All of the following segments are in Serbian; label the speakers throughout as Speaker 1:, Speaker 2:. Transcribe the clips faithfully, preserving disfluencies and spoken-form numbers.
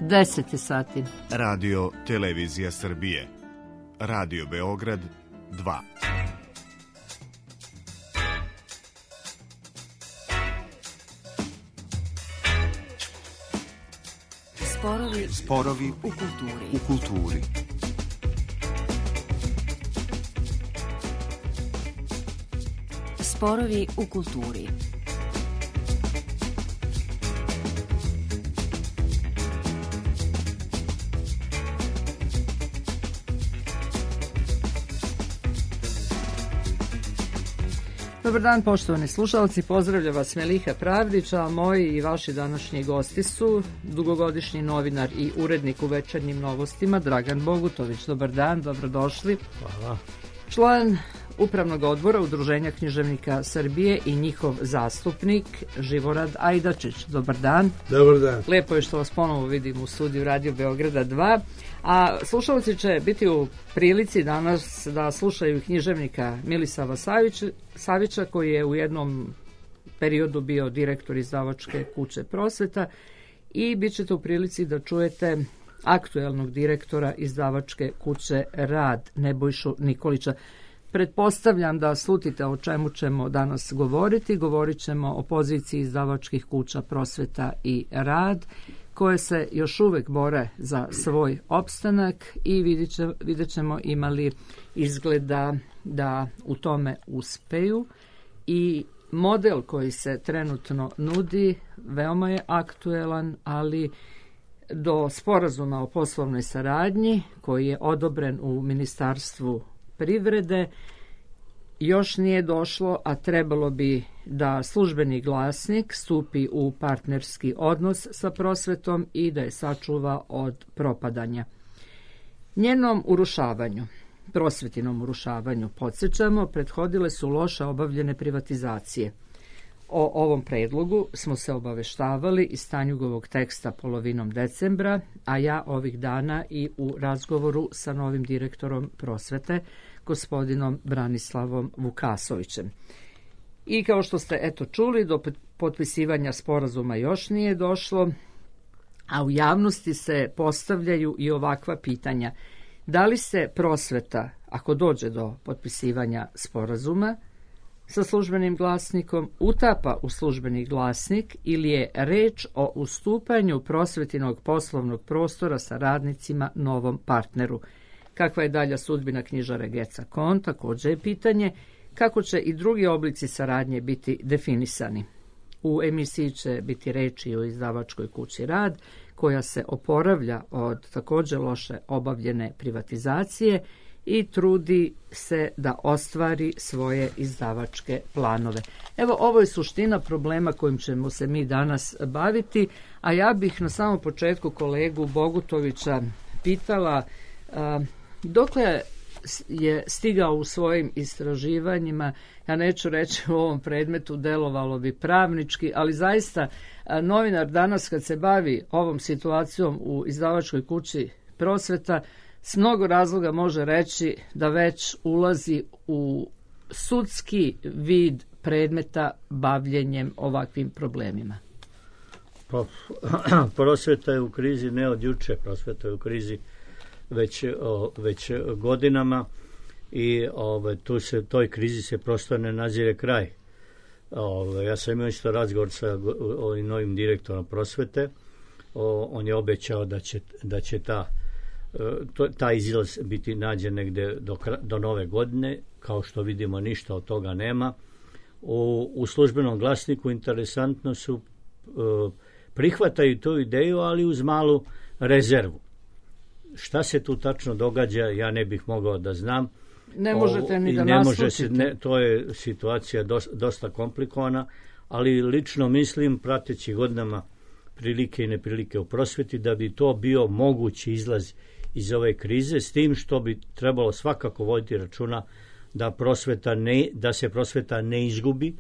Speaker 1: deset sati.
Speaker 2: Radio Televizija Srbije. Radio Beograd dva.
Speaker 3: Sporovi,
Speaker 2: Sporovi
Speaker 3: u kulturi.
Speaker 2: u kulturi.
Speaker 3: Sporovi u kulturi.
Speaker 1: Dobar dan, poštovani slušalci, pozdravlja vas Meliha Pravdić, a moji i vaši današnji gosti su dugogodišnji novinar i urednik u Večernjim novostima Dragan Bogutović. Dobar dan, dobrodošli.
Speaker 4: Hvala.
Speaker 1: Član Upravnog odbora Udruženja književnika Srbije i njihov zastupnik Živorad Ajdačić. Dobar dan.
Speaker 4: Dobar dan.
Speaker 1: Lepo je što vas ponovo vidim u studiju Radio Beograda dva. A slušalci će biti u prilici danas da slušaju književnika Milisava Savića, Savića koji je u jednom periodu bio direktor izdavačke kuće Prosveta, i bit ćete u prilici da čujete aktuelnog direktora izdavačke kuće Rad, Nebojšu Nikolića. Pretpostavljam da slutite o čemu ćemo danas govoriti. Govorit ćemo o poziciji izdavačkih kuća Prosveta i Rad, koje se još uvek bore za svoj opstanak, i vidjet, će, vidjet ćemo imali izgleda da u tome uspeju. I model koji se trenutno nudi veoma je aktuelan, ali do sporazuma o poslovnoj saradnji koji je odobren u Ministarstvu privrede još nije došlo, a trebalo bi da Službeni glasnik stupi u partnerski odnos sa Prosvetom i da je sačuva od propadanja. Njenom urušavanju, Prosvetinom urušavanju, podsjećamo, prethodile su loše obavljene privatizacije. O ovom predlogu smo se obaveštavali iz Stanjugovog teksta polovinom decembra, a ja ovih dana i u razgovoru sa novim direktorom Prosvete, gospodinom Branislavom Vukasovićem. I kao što ste eto čuli, do potpisivanja sporazuma još nije došlo, a u javnosti se postavljaju i ovakva pitanja. Da li se Prosveta, ako dođe do potpisivanja sporazuma sa Službenim glasnikom, utapa u Službeni glasnik, ili je reč o ustupanju Prosvetinog poslovnog prostora sa radnicima novom partneru? Kakva je dalja sudbina knjižare Geca Kon, također je pitanje. Kako će i drugi oblici saradnje biti definisani? U emisiji će biti reči o izdavačkoj kući Rad, koja se oporavlja od također loše obavljene privatizacije i trudi se da ostvari svoje izdavačke planove. Evo, ovo je suština problema kojim ćemo se mi danas baviti, a ja bih na samom početku kolegu Bogutovića pitala a, dokle je stigao u svojim istraživanjima. Ja neću reći u ovom predmetu, delovalo bi pravnički, ali zaista a, novinar danas kad se bavi ovom situacijom u izdavačkoj kući Prosveta, s mnogo razloga može reći da već ulazi u sudski vid predmeta bavljenjem ovakvim problemima.
Speaker 4: Pa, Prosveta je u krizi ne od juče, Prosveta je u krizi već, o, već godinama, i ove, tu se, toj krizi se prosto ne nazire kraj. Ove, ja sam imao isto razgovor sa ovim novim direktorom Prosvete. O, on je obećao da će, da će ta To, taj izlaz biti nađen negde do, do nove godine. Kao što vidimo, ništa od toga nema. U, u Službenom glasniku interesantno su uh, prihvataju tu ideju, ali uz malu rezervu. Šta se tu tačno događa, ja ne bih mogao da znam.
Speaker 1: Ne možete ni da
Speaker 4: ne
Speaker 1: naslučite.
Speaker 4: Može se, ne, to je situacija dosta, dosta komplikovana, ali lično mislim, prateći godinama prilike i neprilike u prosveti, da bi to bio mogući izlaz iz ove krize, s tim što bi trebalo svakako voditi računa da prosveta ne, da se prosveta ne izgubi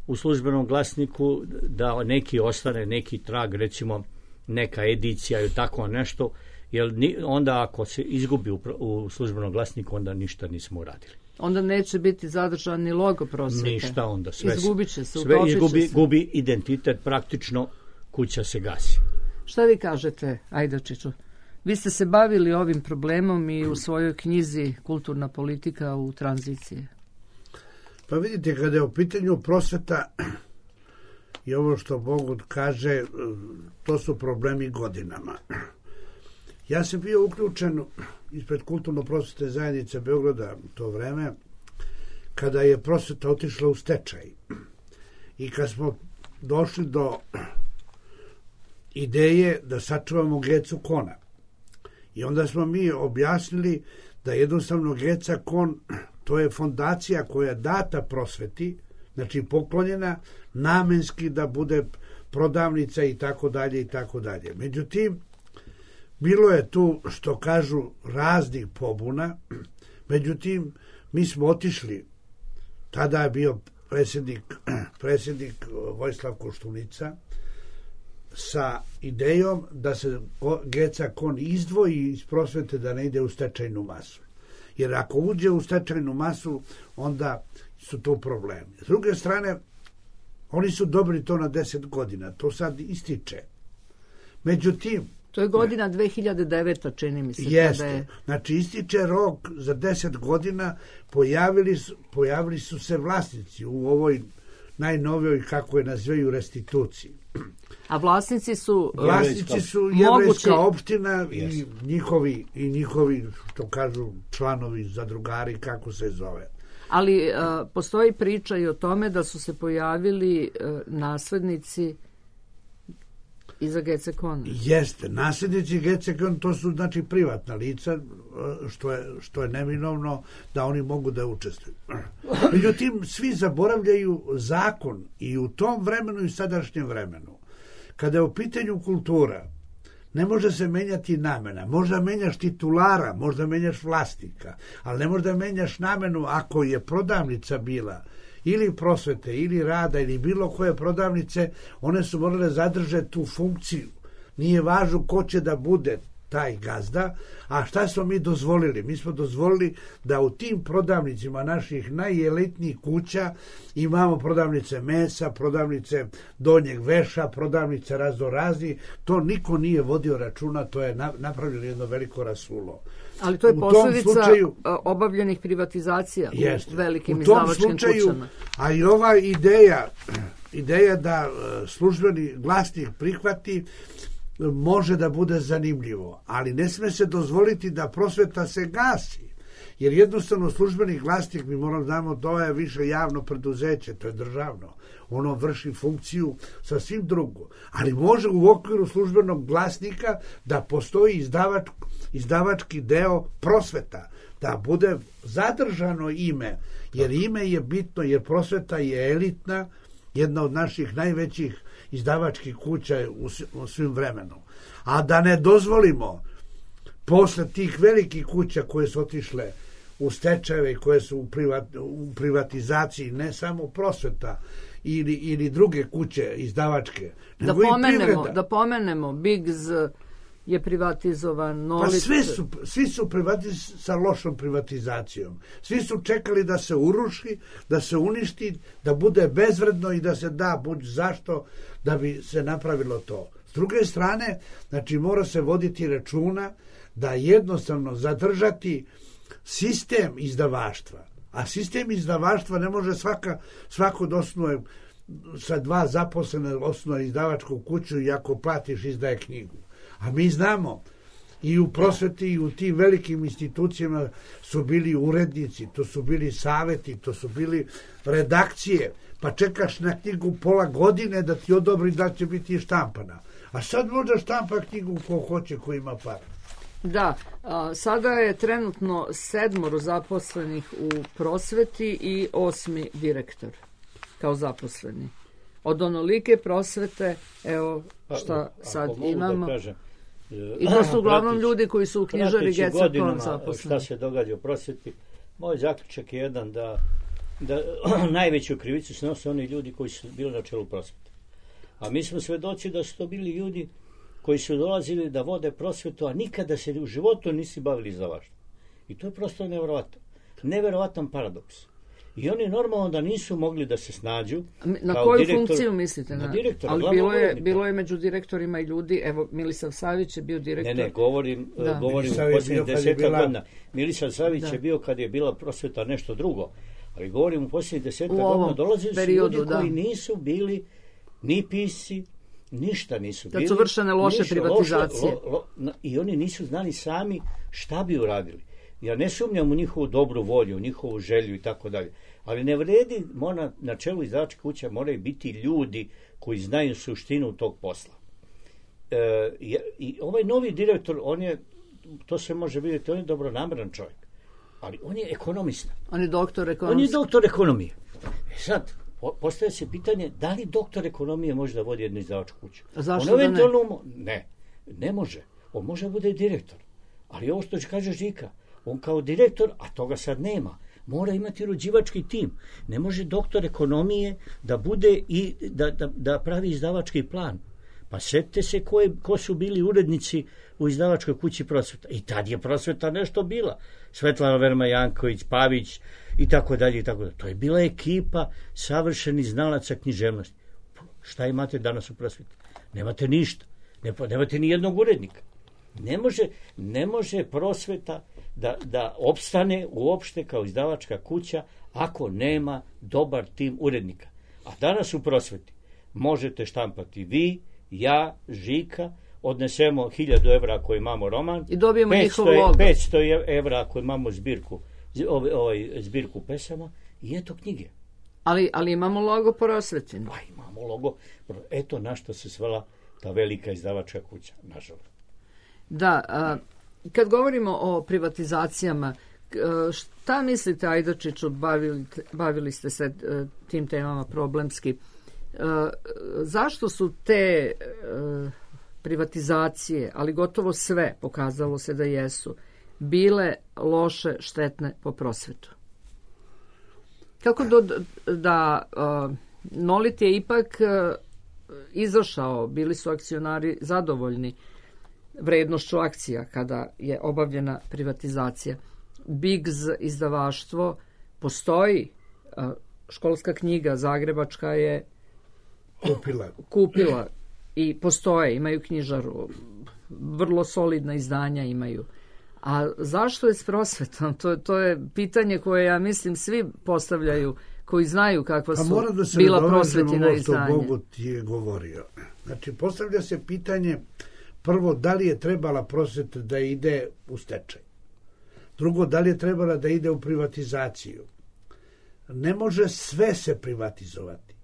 Speaker 4: u Službenom glasniku, da neki ostane, neki trag, recimo neka edicija ili tako nešto, jer onda ako se izgubi u, u Službenom glasniku, onda ništa nismo uradili.
Speaker 1: Onda neće biti zadržan ni logo Prosvete.
Speaker 4: Ništa onda. Sve,
Speaker 1: izgubit će se,
Speaker 4: sve
Speaker 1: utopit
Speaker 4: izgubi,
Speaker 1: će se.
Speaker 4: Gubi identitet, praktično kuća se gasi.
Speaker 1: Šta vi kažete, Ajdačiću? Vi ste se bavili ovim problemom i u svojoj knjizi Kulturna politika u tranziciji.
Speaker 5: Pa vidite, kada je u pitanju prosveta i ovo što Bog kaže, to su problemi godinama. Ja sam bio uključen ispred Kulturno-prosvetne zajednice Beograda u to vreme, kada je prosveta otišla u stečaj. I kad smo došli do ideje da sačuvamo Gecu Kona. I onda smo mi objasnili da jednostavno Geca Kon, to je fondacija koja je data prosveti, znači poklonjena namenski da bude prodavnica i tako dalje i tako dalje. Međutim, bilo je tu, što kažu, raznih pobuna, međutim, mi smo otišli, tada je bio predsjednik, predsjednik Vojislav Koštunica, sa idejom da se Geca Kon izdvoji iz prosvete, da ne ide u stečajnu masu. Jer ako uđe u stečajnu masu, onda su to problemi. S druge strane, oni su dobri to na deset godina, to sad ističe. Međutim,
Speaker 1: to je godina dve hiljade deveta, čini mi se.
Speaker 5: Jeste.
Speaker 1: Kada je...
Speaker 5: Znači, ističe rok za deset godina, pojavili su, pojavili su se vlasnici u ovoj najnovijoj, kako je nazivaju, restituciji.
Speaker 1: A vlasnici su...
Speaker 5: Vlasnici su jevrejska opština i njihovi, i njihovi, što kažu, članovi, zadrugari, kako se zove.
Speaker 1: Ali uh, postoji priča i o tome da su se pojavili uh, naslednici iza Gece Kona.
Speaker 5: Jeste, nasljednici Gece Kona, to su znači privatna lica, što je, što je neminovno da oni mogu da učestvuju. Međutim, svi zaboravljaju zakon i u tom vremenu i sadašnjem vremenu. Kada je u pitanju kultura, ne može se menjati namena. Možda menjaš titulara, možda menjaš vlasnika, ali ne možda menjaš namenu ako je prodavnica bila ili prosvete, ili rada, ili bilo koje prodavnice, one su morale zadržati tu funkciju. Nije važno ko će da bude taj gazda, a šta smo mi dozvolili? Mi smo dozvolili da u tim prodavnicima naših najelitnijih kuća imamo prodavnice mesa, prodavnice donjeg veša, prodavnice raznorazni. To niko nije vodio računa, to je napravljeno jedno veliko rasulo.
Speaker 1: Ali to je posljedica slučaju, obavljenih privatizacija jest, u velikim izdavačkim slučaju, kućama.
Speaker 5: A i ova ideja, ideja da službeni glasnik prihvati, može da bude zanimljivo, ali ne sme se dozvoliti da prosveta se gasi, jer jednostavno službeni glasnik, mi moramo znamo, to je više javno preduzeće, to je državno, ono vrši funkciju sasvim drugo, ali može u okviru službenog glasnika da postoji izdavač, izdavački deo prosveta, da bude zadržano ime, jer ime je bitno, jer prosveta je elitna, jedna od naših najvećih izdavačkih kuća u svim vremenu. A da ne dozvolimo posle tih velikih kuća koje su otišle u stečajeve, koje su u, privat, u privatizaciji, ne samo prosveta ili, ili druge kuće izdavačke,
Speaker 1: da pomenemo, da pomenemo Bigz je privatizovan, Nolic...
Speaker 5: Pa sve su, svi su privatiz, sa lošom privatizacijom. Svi su čekali da se uruši, da se uništi, da bude bezvredno i da se da buď zašto da bi se napravilo to. S druge strane, znači mora se voditi računa da jednostavno zadržati sistem izdavaštva. A sistem izdavaštva ne može svaka, svako da osnuje sa dva zaposlene osnuje izdavačku kuću i ako platiš izdaje knjigu. A mi znamo, i u prosveti i u tim velikim institucijama su bili urednici, to su bili saveti, to su bili redakcije, pa čekaš na knjigu pola godine da ti odobri da će biti štampana. A sad možda štampa knjigu ko hoće, ko ima par.
Speaker 1: Da, a, sada je trenutno sedmoro zaposlenih u prosveti i osmi direktor kao zaposleni. Od onolike prosvete, evo šta sad imamo. I to su uglavnom ljudi koji su u knjižari Gece Kon zaposleni.
Speaker 4: Šta se događa u prosveti, moj zaključak je jedan da, da najveću krivicu snose oni ljudi koji su bili na čelu prosvete. A mi smo svedoci da su to bili ljudi koji su dolazili da vode prosvetu, a nikada se u životu nisi bavili izdavaštvom. I to je prosto nevjerovatno. Neverovatan paradoks. I oni normalno da nisu mogli da se snađu.
Speaker 1: Na
Speaker 4: kao
Speaker 1: koju
Speaker 4: direktor,
Speaker 1: funkciju mislite?
Speaker 4: Na direktora,
Speaker 1: ali
Speaker 4: glavnog
Speaker 1: bilo je,
Speaker 4: urednika.
Speaker 1: bilo je među direktorima i ljudi, evo Milisav Savić je bio direktor.
Speaker 4: Ne, ne, govorim,
Speaker 1: Da.
Speaker 4: govorim
Speaker 5: Milisav
Speaker 4: u
Speaker 5: je
Speaker 4: posljednjih
Speaker 5: bio kad je
Speaker 4: deseta
Speaker 5: bila-
Speaker 4: godina. Milisav Savić
Speaker 1: Da.
Speaker 4: je bio kad je bila prosveta nešto drugo. Ali govorim u posljednjih deseta
Speaker 1: U ovom
Speaker 4: godina dolazili su
Speaker 1: periodu,
Speaker 4: ljudi
Speaker 1: da.
Speaker 4: koji nisu bili ni pisci, ništa nisu
Speaker 1: Kad
Speaker 4: bili.
Speaker 1: su vršene loše
Speaker 4: ništa,
Speaker 1: privatizacije.
Speaker 4: lo- lo- na- I oni nisu znali sami šta bi uradili. Ja ne sumnjam u njihovu dobru volju, u njihovu želju i tako dalje. Ali ne vredi, mora, na čelu izdavačke kuće moraju biti ljudi koji znaju suštinu tog posla. E, je- I ovaj novi direktor, on je, to se može vidjeti, on je dobronameran čovjek. Ali on je ekonomista.
Speaker 1: On je doktor
Speaker 4: On je
Speaker 1: ekonomski.
Speaker 4: doktor ekonomije. E sad, po- postaje se pitanje da li doktor ekonomije može da vodi jednu izdavačku kuću.
Speaker 1: A zašto
Speaker 4: On
Speaker 1: da ne?
Speaker 4: eventualno mo- ne, ne može. On može da bude i direktor. Ali ovo što kaže Žika, on kao direktor, a toga sad nema, mora imati rođivački tim. Ne može doktor ekonomije da bude i da, da, da pravi izdavački plan. Pa setite se ko, je, ko su bili urednici u izdavačkoj kući Prosveta. I tad je Prosveta nešto bila. Svetlana Verma Janković, Pavić i tako dalje i tako dalje. To je bila ekipa savršenih znalaca književnosti. Šta imate danas u Prosveti? Nemate ništa. Ne, nemate ni jednog urednika. Ne može, ne može Prosveta da, da opstane uopšte kao izdavačka kuća ako nema dobar tim urednika. A danas u Prosveti možete štampati vi, ja, Žika, odnesemo hiljadu evra ako imamo roman
Speaker 1: I dobijemo
Speaker 4: petsto
Speaker 1: njihov logo.
Speaker 4: petsto evra ako imamo zbirku, ovaj, ovaj, zbirku pesama i eto knjige.
Speaker 1: Ali, ali imamo logo Prosvetin.
Speaker 4: Pa imamo logo. Eto na što se svela ta velika izdavačka kuća, nažalost.
Speaker 1: Da, a, kad govorimo o privatizacijama, k- a, šta mislite, Ajdačiću, bavili, bavili ste se e, tim temama problemski, E, zašto su te e, privatizacije, ali gotovo sve, pokazalo se da jesu, bile loše, štetne po prosvetu? Kako do, da a, Nolit je ipak a, izašao, bili su akcionari zadovoljni vrednošću akcija kada je obavljena privatizacija. Bigz izdavaštvo postoji, a, školska knjiga zagrebačka je
Speaker 5: Kupila.
Speaker 1: kupila i postoje, imaju knjižaru, vrlo solidna izdanja imaju. A zašto je s prosvetom? To, to je pitanje koje, ja mislim, svi postavljaju koji znaju kakva
Speaker 5: Pa
Speaker 1: su
Speaker 5: mora da se
Speaker 1: bila
Speaker 5: nadovežemo
Speaker 1: prosvetina
Speaker 5: ovo što
Speaker 1: izdanja.
Speaker 5: Bogu ti je govorio. Znači, postavlja se pitanje prvo, da li je trebala prosveta da ide u stečaj? Drugo, da li je trebala da ide u privatizaciju? Ne može sve se privatizovati.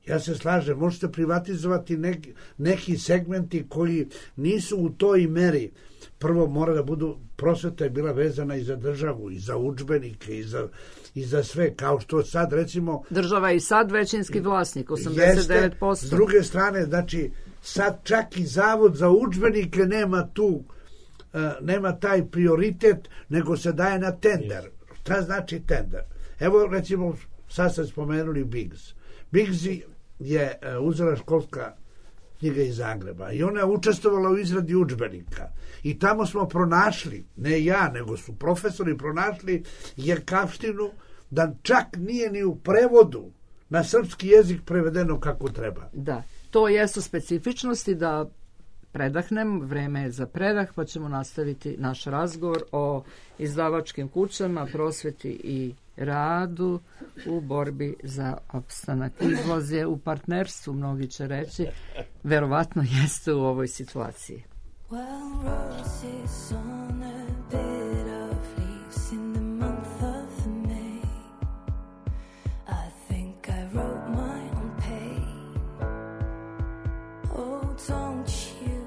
Speaker 5: Ja se slažem, možete privatizovati neki, neki segmenti koji nisu u toj meri. Prvo mora da budu, prosveta je bila vezana i za državu, i za udžbenike, i za, i za sve, kao što sad recimo...
Speaker 1: Država je i sad većinski vlasnik, osamdeset devet posto.
Speaker 5: Jeste, s druge strane, znači, sad čak i Zavod za udžbenike nema tu, uh, nema taj prioritet, nego se daje na tender. Šta znači tender? Evo, recimo, sad ste spomenuli Bigz. Bigz je uh, uzela školska knjiga iz Zagreba i ona je učestvovala u izradi udžbenika. I tamo smo pronašli, ne ja, nego su profesori pronašli jerkavštinu da čak nije ni u prevodu na srpski jezik prevedeno kako treba.
Speaker 1: Da, to jesu specifičnosti. Da predahnem, vreme je za predah, pa ćemo nastaviti naš razgovor o izdavačkim kućama, prosveti i radu u borbi za opstanak. Izlaz je u partnerstvu, mnogi će reći, verovatno jeste u ovoj situaciji.
Speaker 6: Well, roses on a bed of leaves in the month of May. I think I wrote my own pain. Oh, don't you?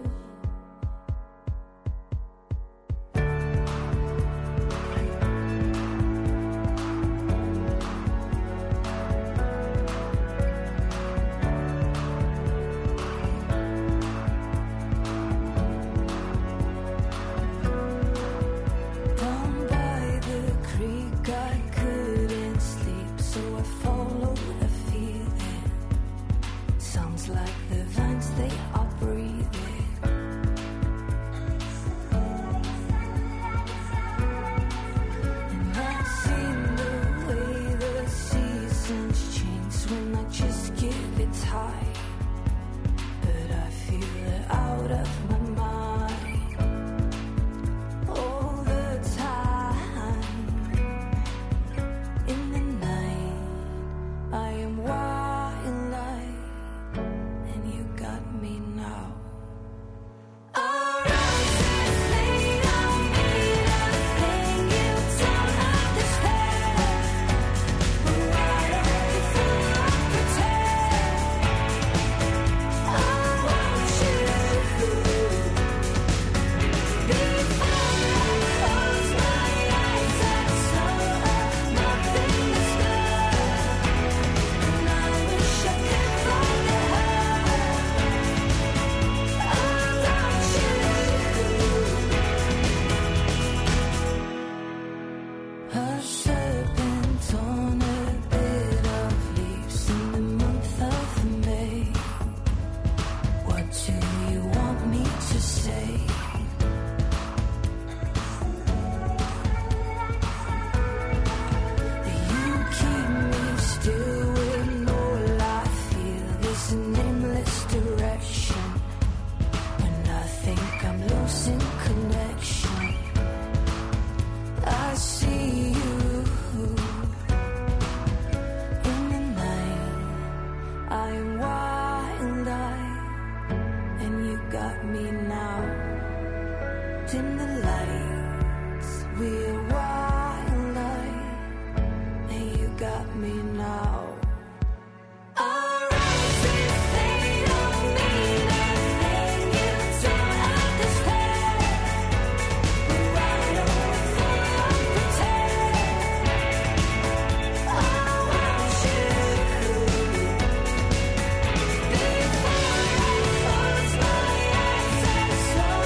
Speaker 6: dim the lights. We're wild-eyed, and you got me now. Our eyes, they don't mean a thing. You don't understand. But I don't fully pretend. I want you before I close my eyes and saw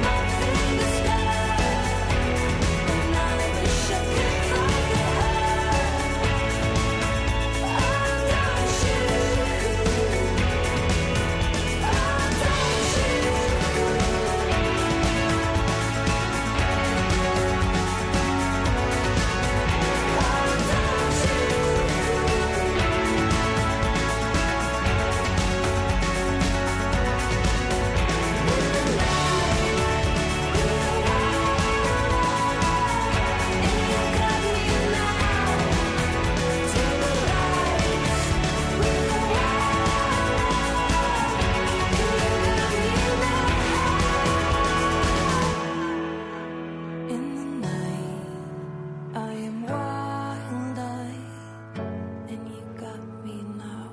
Speaker 6: nothing in the sky. And I wish I could find her. In the night, I am wild-eyed, and you got me now.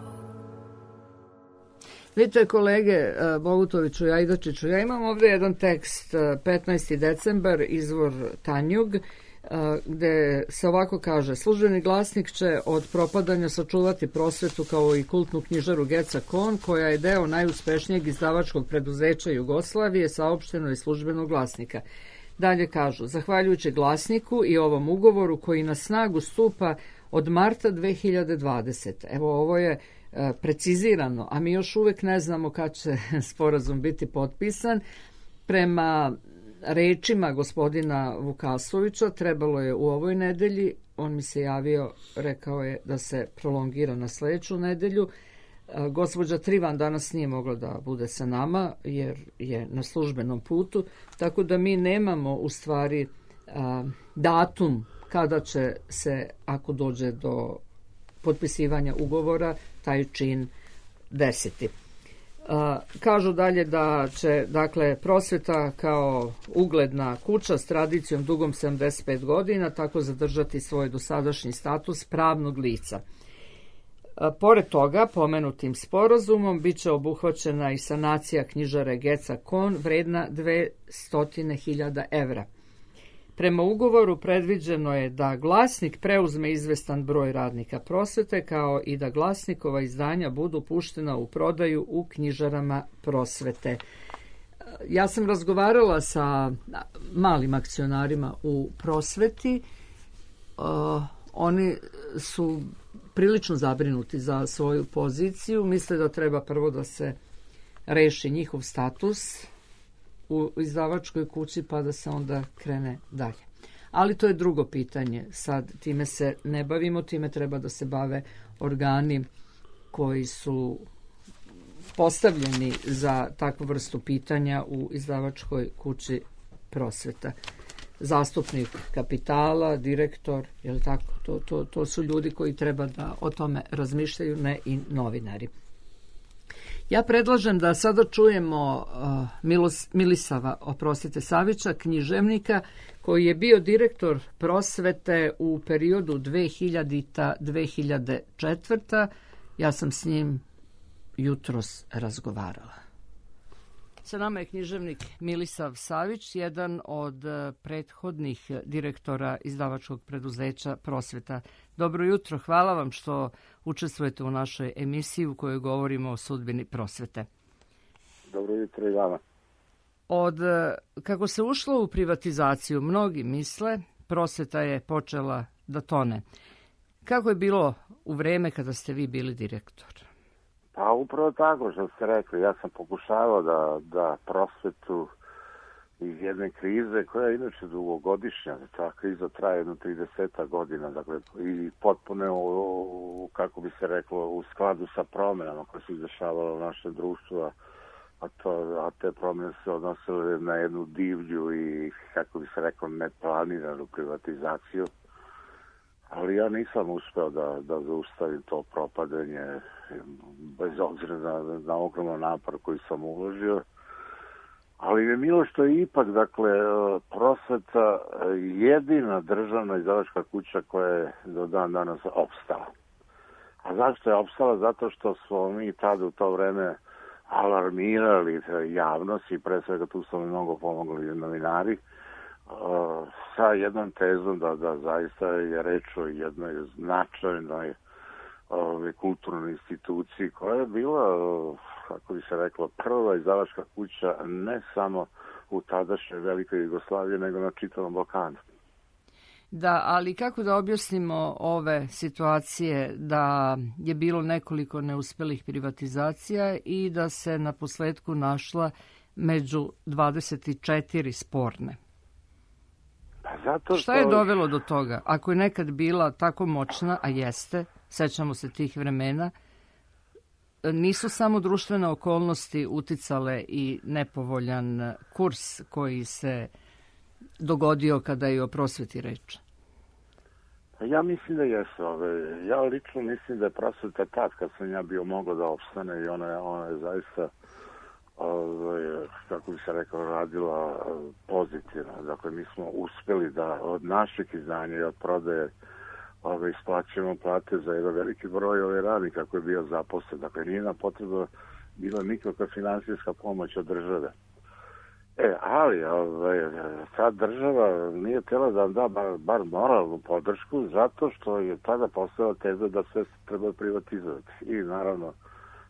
Speaker 1: Vidite, kolege e, Bogutoviću i Ajdačiću, ja imam ovdje jedan tekst, e, petnaesti decembar, izvor Tanjug, e, gde se ovako kaže: službeni glasnik će od propadanja sačuvati prosvetu kao i kultnu knjižaru Geca Kon, koja je deo najuspešnijeg izdavačkog preduzeća Jugoslavije, saopšteno iz službenog glasnika. Dalje kažu: zahvaljujući glasniku i ovom ugovoru koji na snagu stupa od marta dve hiljade dvadesete. Evo, ovo je e, precizirano, a mi još uvek ne znamo kad će sporazum biti potpisan. Prema rečima gospodina Vukasovića trebalo je u ovoj nedelji, on mi se javio, rekao je da se prolongira na sledeću nedelju. E, Gospođa Trivan danas nije mogla da bude sa nama jer je na službenom putu, tako da mi nemamo u stvari a, datum kada će se, ako dođe do potpisivanja ugovora, taj čin desiti. A, kažu dalje da će, dakle, prosveta kao ugledna kuća s tradicijom dugom sedamdeset pet godina tako zadržati svoj dosadašnji status pravnog lica. A, pored toga, pomenutim sporazumom bit će obuhvaćena i sanacija knjižare Geca Kon vredna dvesta hiljada evra. Prema ugovoru predviđeno je da glasnik preuzme izvestan broj radnika prosvete, kao i da glasnikova izdanja budu puštena u prodaju u knjižarama prosvete. Ja sam razgovarala sa malim akcionarima u prosveti. Uh, oni su prilično zabrinuti za svoju poziciju. Misle da treba prvo da se reši njihov status u izdavačkoj kući, pa da se onda krene dalje. Ali to je drugo pitanje. Sad time se ne bavimo, time treba da se bave organi koji su postavljeni za takvu vrstu pitanja u izdavačkoj kući prosveta. Zastupnik kapitala, direktor, je li tako? To, to, to su ljudi koji treba da o tome razmišljaju, ne i novinari. Ja predlažem da sada čujemo uh, Milos, Milisava, oprostite, Savića, književnika, koji je bio direktor prosvete u periodu dve hiljadita do dve hiljade četvrta. Ja sam s njim jutros razgovarala. Sa nama je književnik Milisav Savić, jedan od prethodnih direktora izdavačkog preduzeća Prosveta. Dobro jutro, hvala vam što učestvujete u našoj emisiji u kojoj govorimo o sudbini prosvete.
Speaker 7: Dobro jutro i vama.
Speaker 1: Od kako se ušlo u privatizaciju, mnogi misle, prosveta je počela da tone. Kako je bilo u vreme kada ste vi bili direktor?
Speaker 7: Pa upravo tako što ste rekli. Ja sam pokušavao da, da prosvetu iz jedne krize koja je inače dugogodišnja, ta kriza traje jedno trideset godina, dakle, i potpuno, u, kako bi se reklo, u skladu sa promenama koje su izdešavale u našem društvu, a, to, a te promene se odnosile na jednu divlju i, kako bi se reklo, neplaniranu privatizaciju. Ali ja nisam uspeo da, da zaustavim to propadanje, bez obzira na, na ogroman napor koji sam uložio. Ali je milo što je ipak, dakle, prosveta jedina državna izdavačka kuća koja je do dan danas opstala. A zašto je opstala? Zato što smo mi tada u to vreme alarmirali javnost i pre svega tu su mi mnogo pomogli novinari sa jednom tezom da, da zaista je reč o jednoj značajnoj ove, kulturnoj instituciji koja je bila, kako bi se reklo, prva izdavačka kuća ne samo u tadašnjoj Velikoj Jugoslaviji, nego na čitavom Balkanu.
Speaker 1: Da, ali kako da objasnimo ove situacije da je bilo nekoliko neuspelih privatizacija i da se na posledku našla među dvadeset četiri sporne?
Speaker 7: Pa zato što...
Speaker 1: Šta je dovelo do toga? Ako je nekad bila tako moćna, a jeste, sećamo se tih vremena, nisu samo društvene okolnosti uticale i nepovoljan kurs koji se dogodio kada je o prosveti reč?
Speaker 7: Ja mislim da jesu. Ove. Ja lično mislim da je prosveta tad kad sam ja bio mogao da opstane i ona je, ona je zaista ove, kako bi se rekao, radila pozitivno. Dakle, mi smo uspeli da od našeg izdanja i od prodaje ove, isplaćujemo plate za jedan veliki broj ove radnika koji je bio zaposlen. Dakle, nije nam potrebno bila nikakva finansijska pomoć od države. E, ali ovaj, ta država nije htjela da nam da bar, bar moralnu podršku zato što je tada postala teza da sve treba privatizovati. I naravno,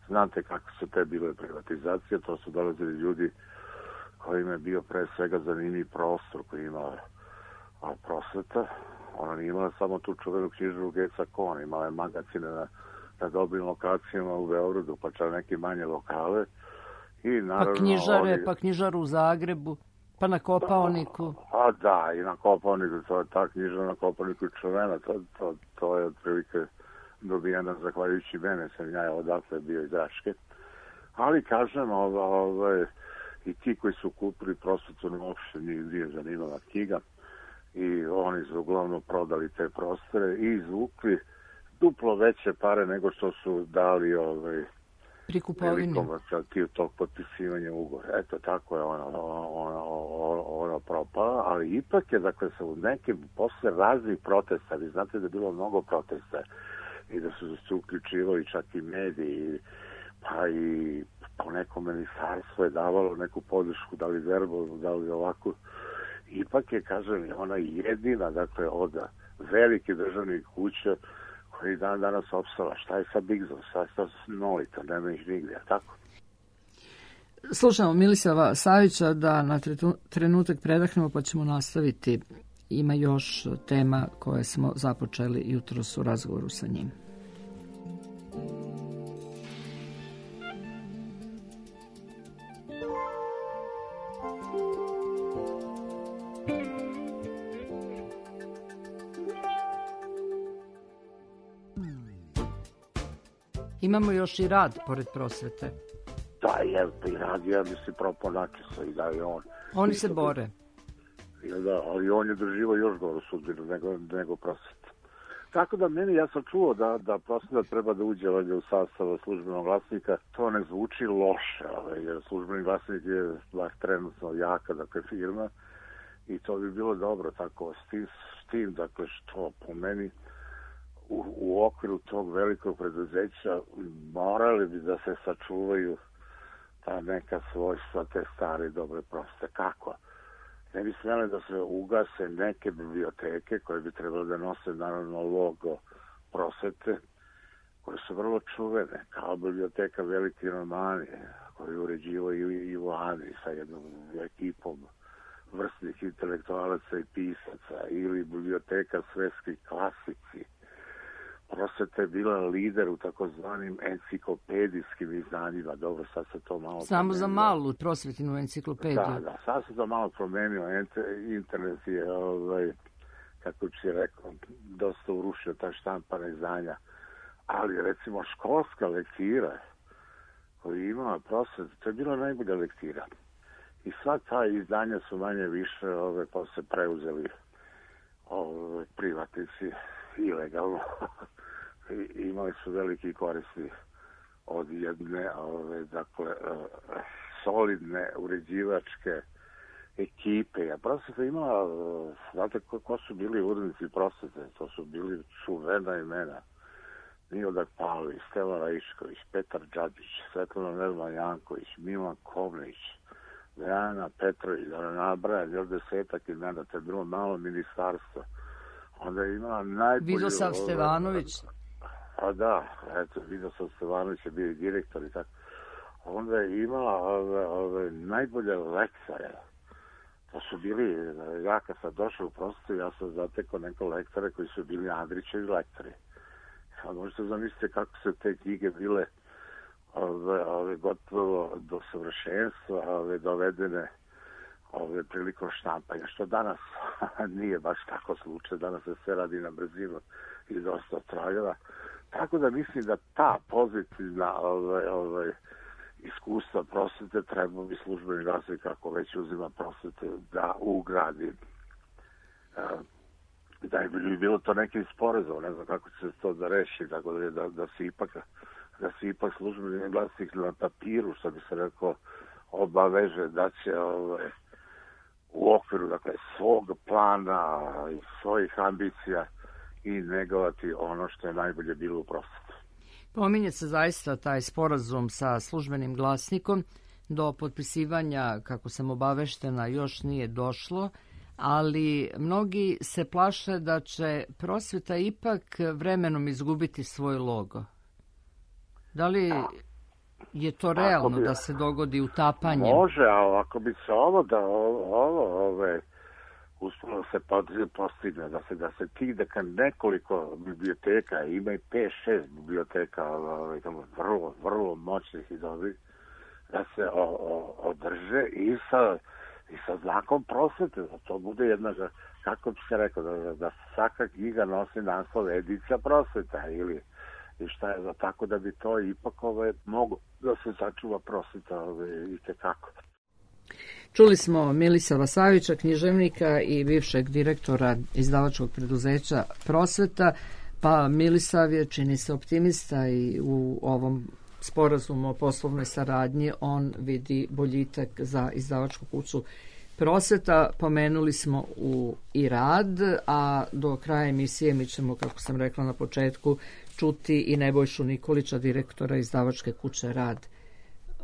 Speaker 7: znate kako su te bile privatizacije, to su dolazili ljudi kojima je bio pre svega zanimljiv prostor koji ima a, prosveta. Ona nije imala samo tu čuvenu knjižaru Geca Kon, imala je magazine na, na dobrim lokacijama u Beogradu, pa čak neke manje lokale. I naravno,
Speaker 1: pa knjižare,
Speaker 7: oni...
Speaker 1: pa knjižaru u Zagrebu, pa na Kopaoniku.
Speaker 7: A da, i na Kopaoniku, to je ta knjižara na Kopaoniku čuvena, to, to, to je otprilike dobijena zahvaljujući mene, sam ja odatle bio iz Raške. Ali kažem, ove, ove, i ti koji su kupili prosvetu uopšte nije zanimala knjiga i oni su uglavnom prodali te prostore i izvukli duplo veće pare nego što su dali ove,
Speaker 1: pri kupovini
Speaker 7: tog potpisivanja ugovora. Eto, tako je ona, ona, ona, ona propala, ali ipak je, dakle, sa u nekim posle raznih protesta, vi znate da je bilo mnogo protesta i da su se uključivali čak i mediji, pa i po neko ministarstvo je davalo neku podršku, da li verbalnu, da li ovako. Ipak je, kažem, ona jedina, dakle, od velike državnih kuća koji dan danas opstala. Šta je sa Bigzom? Šta je sa Nolita? Nema ih nigdje, tako?
Speaker 1: Slušamo Milisava Savića da na trenutak predahnemo pa ćemo nastaviti. Ima još tema koje smo započeli jutros u razgovoru sa njim. Imamo još i rad pored prosvete.
Speaker 7: Da, je, i rad je, bi se propao načisa i da je on.
Speaker 1: Oni se bore.
Speaker 7: Da, ali on je doživao još goru sudbinu nego, nego prosveta. Tako da meni, ja sam čuo da, da prosveta treba da uđe u sastav službenog glasnika. To ne zvuči loše, ali, jer službeni glasnik je baš trenutno jaka, dakle, firma i to bi bilo dobro tako s tim, s tim dakle, što po meni U, u okviru tog velikog preduzeća morali bi da se sačuvaju ta neka svojstva te stare dobre proste. Kako? Ne bi smjeli da se ugase neke biblioteke koje bi trebali da nose naravno logo prosvete, koje su vrlo čuvene, kao biblioteka Veliki Romani, koju uređivaju i Ivani sa jednom ekipom vrstnih intelektualaca i pisaca, ili biblioteka Svetski klasici. Prosveta je bila lider u takozvanim enciklopedijskim izdanjima. Dobro, sad se to malo...
Speaker 1: Samo promenio. Za malu prosvetinu enciklopediju.
Speaker 7: Da, da, sad se to malo promenio. Internet je, ovaj, kako bi si rekao, dosta urušio ta štampana izdanja. Ali, recimo, školska lektira koju imala prosveta, to je bila najbolja lektira. I sva ta izdanja su manje više ove, pa se preuzeli ove, privatnici ilegalno. I imali su veliki koristi od jedne ove, dakle, solidne uređivačke ekipe. A prosveta imala, znate ko, ko su bili urednici prosvete? To su bili čuvena imena. Miodrag Pavlović, Stevan Raišković, Petar Đađić, Svetlana Nerman Janković, Milan Kovnić, Dejana Petrović, da ne nabrajam, još desetak imena, to je bilo malo ministarstvo. Onda je imala najbolju...
Speaker 1: Vidosav Stevanović.
Speaker 7: A da, eto, Vidosav Stevanović je bio i direktor i tako. Onda je imala ove, ove najbolje lektore. To su bili, ja kad sam došao u prosvetu, ja sam zatekao neke lektore koji su bili Andrićevi lektori. A možete zamisliti kako su te knjige bile ove, ove, gotovo do savršenstva, ove, dovedene ove, prilikom štampanja, što danas nije baš tako slučaj, danas se sve radi na brzinu i dosta trajeva. Tako da mislim da ta pozitivna ove, ove, iskustva prosvete treba bi službeni glasnik, kako već uzima prosvete, da ugradi. Da je bi bilo to nekim sporazom, ne znam kako će se to da reši, tako da, da, da se ipak da se ipak službeni glasnik na papiru, što bi se rekao, obaveže da će ove, u okviru, dakle, svog plana i svojih ambicija i negovati ono što je najbolje bilo u prosvetu.
Speaker 1: Pominje se zaista taj sporazum sa službenim glasnikom. Do potpisivanja, kako sam obaveštena, još nije došlo, ali mnogi se plaše da će prosveta ipak vremenom izgubiti svoj logo. Da li je to realno bi, da se dogodi utapanje?
Speaker 7: Može, ali ako bi se ovo da ovo, ovo ove, uspjelo se postigne, da se, da se ti da nekoliko biblioteka, ima i pet šest biblioteka ove, tamo, vrlo, vrlo moćnih i dobrih, da se o, o, održe i sa, i sa znakom prosvete, da to bude jedna, kako bi se rekao, da, da svaka knjiga nosi naslov edicija prosveta ili i šta je za tako da bi to ipak ove, mogo da se sačuva prosveta ove, i tekako.
Speaker 1: Čuli smo Milisava Savića, književnika i bivšeg direktora izdavačkog preduzeća Prosveta, pa Milisav je, čini se, optimista i u ovom sporazumu o poslovnoj saradnji on vidi boljitak za izdavačku kuću Prosveta. Pomenuli smo u i rad, a do kraja emisije mi ćemo, kako sam rekla na početku, čuti i Nebojšu Nikolića, direktora izdavačke kuće Rad.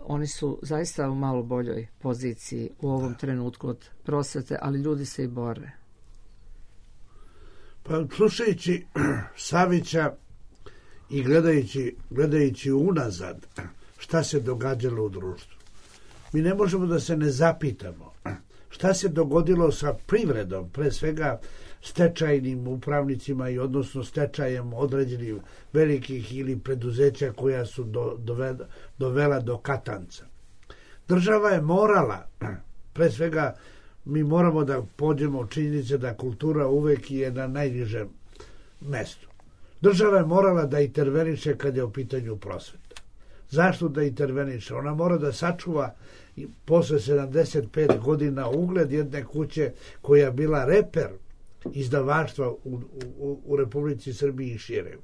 Speaker 1: Oni su zaista u malo boljoj poziciji u ovom trenutku od prosvete, ali ljudi se i bore.
Speaker 5: Pa slušajući Savića i gledajući, gledajući unazad šta se događalo u društvu, mi ne možemo da se ne zapitamo šta se dogodilo sa privredom, pre svega stečajnim upravnicima i odnosno stečajem određenih velikih ili preduzeća koja su do, dovela, dovela do katanca. Država je morala, pre svega mi moramo da pođemo od činjenice da kultura uvek je na najnižem mestu. Država je morala da interveniše kad je u pitanju prosveta. Zašto da interveniše? Ona mora da sačuva posle sedamdeset pet godina ugled jedne kuće koja je bila reper izdavaštva u, u, u Republici Srbiji i šire.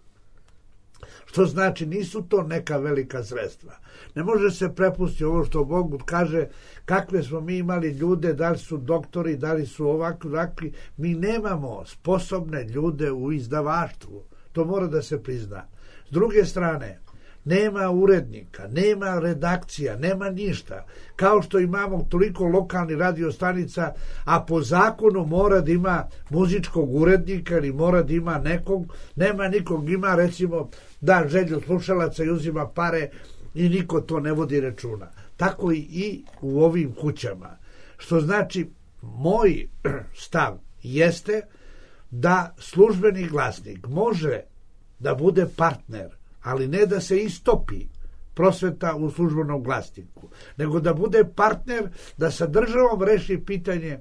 Speaker 5: Što znači, nisu to neka velika sredstva. Ne može se prepustiti ovo što Bog kaže, kakve smo mi imali ljude, da li su doktori, da li su ovakvi, ovakvi. Mi nemamo sposobne ljude u izdavaštvu. To mora da se prizna. S druge strane, nema urednika, nema redakcija, nema ništa. Kao što imamo toliko lokalnih radiostanica, a po zakonu mora da ima muzičkog urednika ili mora da ima nekog, nema nikog, ima recimo da želju slušalaca i uzima pare i niko to ne vodi računa. Tako i u ovim kućama. Što znači, moj stav jeste da službeni glasnik može da bude partner, ali ne da se istopi prosveta u službenom glasniku, nego da bude partner, da sa državom reši pitanje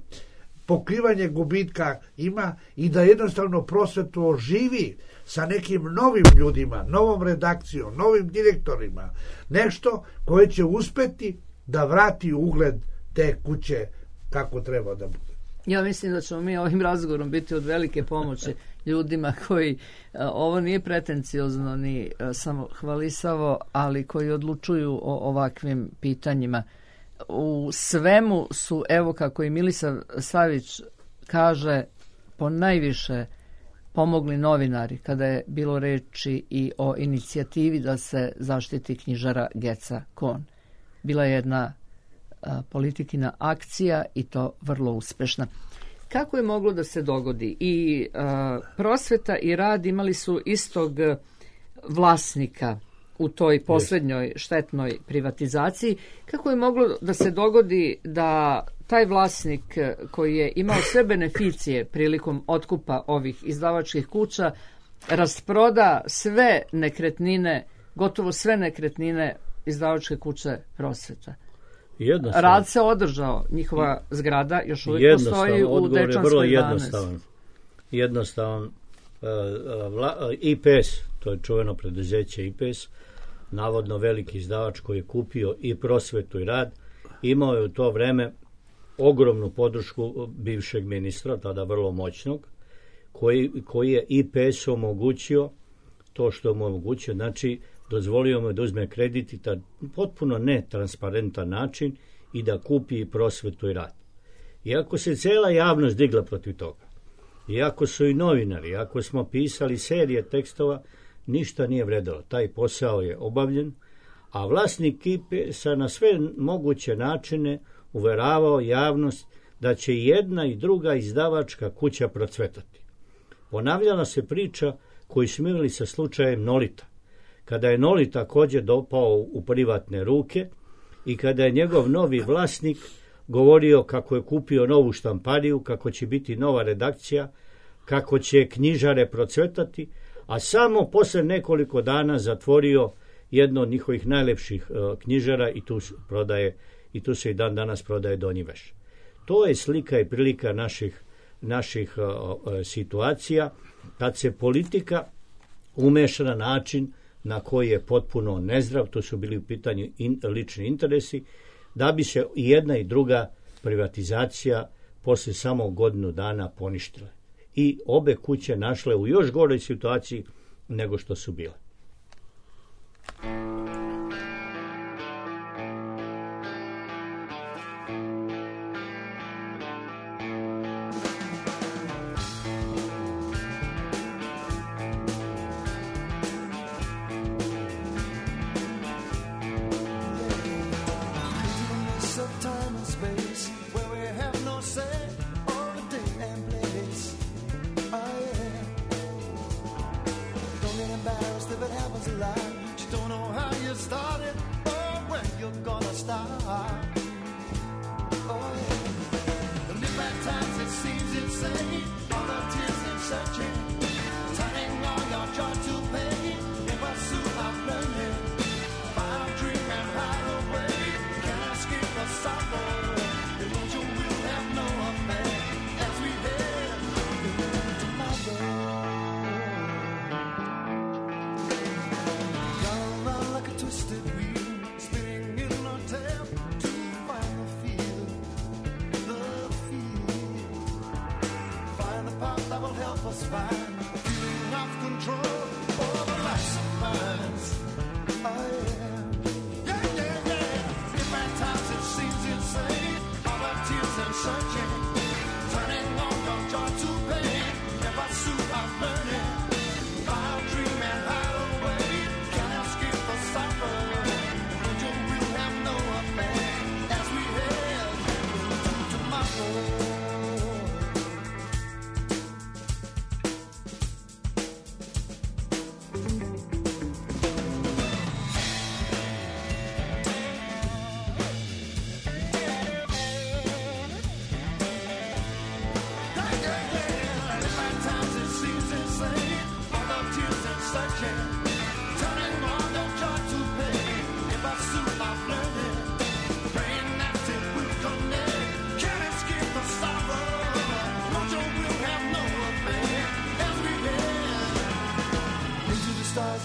Speaker 5: pokrivanje gubitka ima i da jednostavno prosvetu oživi sa nekim novim ljudima, novom redakcijom, novim direktorima, nešto koje će uspeti da vrati ugled te kuće kako treba da bude.
Speaker 1: Ja mislim da ćemo mi ovim razgovorom biti od velike pomoći ljudima koji, ovo nije pretenciozno ni samo hvalisavo, ali koji odlučuju o ovakvim pitanjima. u svemu su, evo kako i Milisav Savić kaže, po najviše pomogli novinari kada je bilo reči i o inicijativi da se zaštiti knjižara Geca Kon. Bila je jedna a, politikina akcija i to vrlo uspešna. Kako je moglo da se dogodi? I a, prosveta i rad imali su istog vlasnika u toj poslednjoj štetnoj privatizaciji. Kako je moglo da se dogodi da taj vlasnik koji je imao sve beneficije prilikom otkupa ovih izdavačkih kuća rasproda sve nekretnine, gotovo sve nekretnine izdavačke kuće Prosveta? Rad se održao, njihova zgrada još uvijek postoji u Dečanskoj jedanaest.
Speaker 4: Jednostavan. Jednostavan. I P S, to je čuveno preduzeće I P S, navodno veliki izdavač koji je kupio i Prosvetu i rad, imao je u to vreme ogromnu podršku bivšeg ministra, tada vrlo moćnog, koji, koji je I P S omogućio to što mu omogućio, znači dozvolio mu da uzme kredit i ta potpuno netransparentan način i da kupi i Prosvetu i rad. Iako se cela javnost digla protiv toga, iako su i novinari, iako smo pisali serije tekstova, ništa nije vredilo. Taj posao je obavljen, a vlasnik I P S-a na sve moguće načine uveravao javnost da će jedna i druga izdavačka kuća procvetati. Ponavljala se priča koju smo imali sa slučajem Nolita. Kada je Nolita također dopao u privatne ruke i kada je njegov novi vlasnik govorio kako je kupio novu štampariju, kako će biti nova redakcija, kako će knjižare procvetati, a samo posle nekoliko dana zatvorio jedno od njihovih najlepših uh, knjižara i tu prodaje i tu se i dan danas prodaje Donji Veš. To je slika i prilika naših, naših uh, uh, situacija kad se politika umeša na način na koji je potpuno nezdrav, to su bili u pitanju in, lični interesi, da bi se i jedna i druga privatizacija posle samo godinu dana poništile. I obe kuće našle u još goroj situaciji nego što su bile.